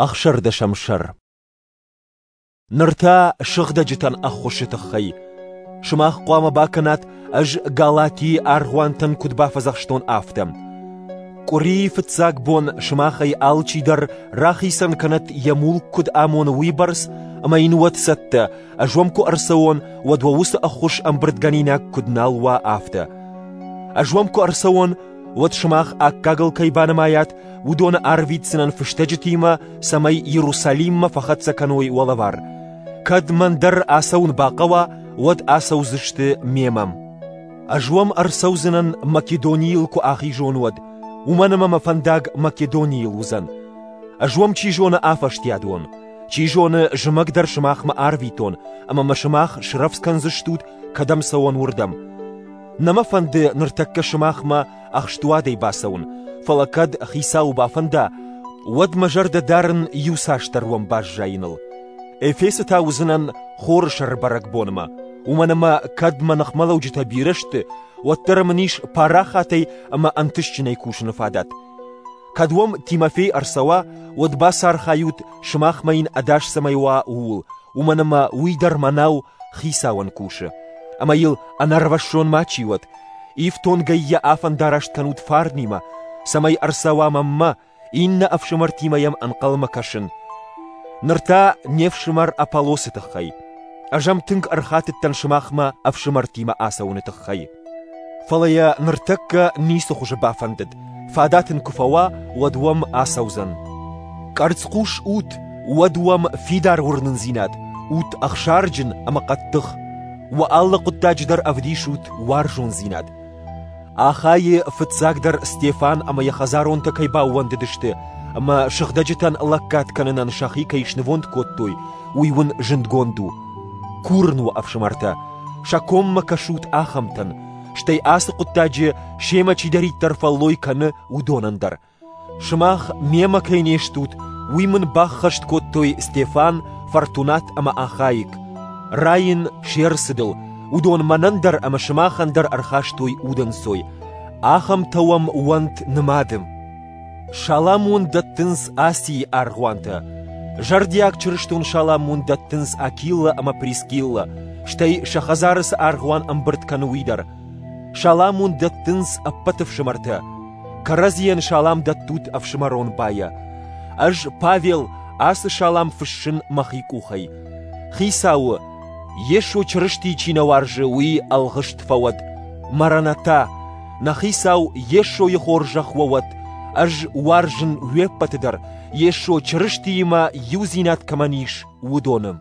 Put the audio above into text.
Ӕхсӕрдӕсӕм сӕр. Ныр та сыгъдӕджытӕн ӕххуысы тыххӕй. Сымах хъуамӕ бакӕнат, ӕз Галатийы аргъуантӕн куыд бафӕдзӕхстон, афтӕ. Къуырийы фыццаг бон сымахӕй алчидӕр рахицӕн кӕнӕд йӕ мулк куыд амоны, уыйбӕрц, ӕмӕ йын уӕд цӕттӕ, ӕз уӕм куы ӕрцӕуон, уӕд уӕ уыцы ӕххуыс ӕмбырдгӕнинаг куыд нал уа, афтӕ. Ӕз уӕм куы ӕрцӕуон, уӕд сымах аккагыл кӕй банымайат, уыдоны арвитдзынӕн фыстӕджытимӕ, цӕмӕй Иерусалиммӕ фӕхӕццӕ кӕной уӕ лӕвар. Кӕд мӕн дӕр ацӕуын бахъӕуа, уӕд ацӕудзысты мемӕ. Ӕз уӕм ӕрцӕудзынӕн Македонийыл куы ахизон, уӕд, уымӕн ӕмӕ мӕ фӕндаг Македонийыл уыдзӕн. Ӕз уӕм чи зоны афӕстиат уон, чи зоны зымӕг дӕр сымахмӕ арвитон, ӕмӕ мӕ сымах срӕвдз кӕндзыстут, кӕдӕм цӕуон, уырдӕм. Нӕ мӕ фӕнды ныртӕккӕ сымахмӕ ӕхстуадӕй бацӕуын, фӕлӕ кӕд хицауы бафӕнда, уӕд мӕ зӕрдӕ дарын иуцасдӕр уӕм баззайыныл. Эфесы та уыдзынӕн хоры сӕры бӕрӕгбонмӕ, уымӕн ӕмӕ кӕд мӕ ныхмӕлӕуджытӕ бирӕ сты, уӕддӕр мын ис парахатӕй ӕмӕ ӕнтыстджынӕй кусыны фадат. Кӕд уӕм Тимофей ӕрцӕуа, уӕд бацархайут, сымахмӕ йын ӕдас цӕмӕй уа, ууыл, уымӕн ӕмӕ уый дӕр мӕнау хицауӕн кусы. Ӕмӕ йыл ӕнӕрвӕссон мачи уӕд. Ифтонгӕй йӕ афӕндараст кӕнут фарнимӕ, цӕмӕй ӕрцӕуа мӕнмӕ, иннӕ ӕфсымӕртимӕ йӕм ӕнхъӕлмӕ кӕсын. Ныр та не фсымӕр Аполлосы тыххӕй. Ӕз ӕм тынг ӕрхатыдтӕн сымахмӕ ӕфсымӕртимӕ ацӕуыны тыххӕй. Фӕлӕ йӕ ныртӕккӕ ницы хуызы бафӕндыд, фадат ын куы фӕуа, уӕд уӕм ацӕудзӕн. Къӕрцхъус ут, уӕд уӕм фидар уырнындзинад, ут ӕхсарджын ӕмӕ хъӕддых. Уӕ алы хъуыддаджы дӕр ӕвдисут уарзондзинад. Ахайы фыццагдӕр Стефан ӕмӕ йӕ хӕдзаронтӕ кӕй баууӕндыдысты ӕмӕ сыгъдӕджытӕн лӕггад кӕнынӕн сӕхи кӕй снывонд кодтой, уый уын зындгонд у. Курын уӕ, ӕфсымӕртӕ, сӕ коммӕ кӕсут ахӕмтӕн, стӕй ацы хъуыддаджы семӕ чидӕриддӕр фӕллой кӕны, уыдонӕн дӕр. Сымах мемӕ кӕй не стут, уый мын баххӕст кодтой Стефан, Фортунат ӕмӕ Ахаик. Райын се рцыдыл, уыдон мӕнӕн дӕр ӕмӕ сымахӕн дӕр ӕрхастой удӕнцой. Ахӕмтӕ уӕм уӕнт нымады. Салам уын дӕттынц Асийы аргъуантӕ. Зӕрдиаг чырыстон салам уын дӕттынц Акилла ӕмӕ Прискилла, стӕй сӕ хӕдзары цы аргъуан ӕмбырд кӕны, уый дӕр. Салам уын дӕттынц ӕппӕт ӕфсымӕртӕ. Кӕрӕдзийӕн салам дӕттут ӕфсымӕрон байӕ. Ӕз, Павел, ацы салам фыссын мӕхи къухӕй. Хицауы, Йесо Чырыстийы чи нӕ уарзы, уый ӕлгъыст фӕуӕд. Маранатӕ, нӕ Хицау Йесойы хорзӕх уӕ уӕд! Ӕз уарзын уе ппӕты дӕр, Йесо Чырыстиимӕ иудзинад кӕмӕн ис, уыдоны.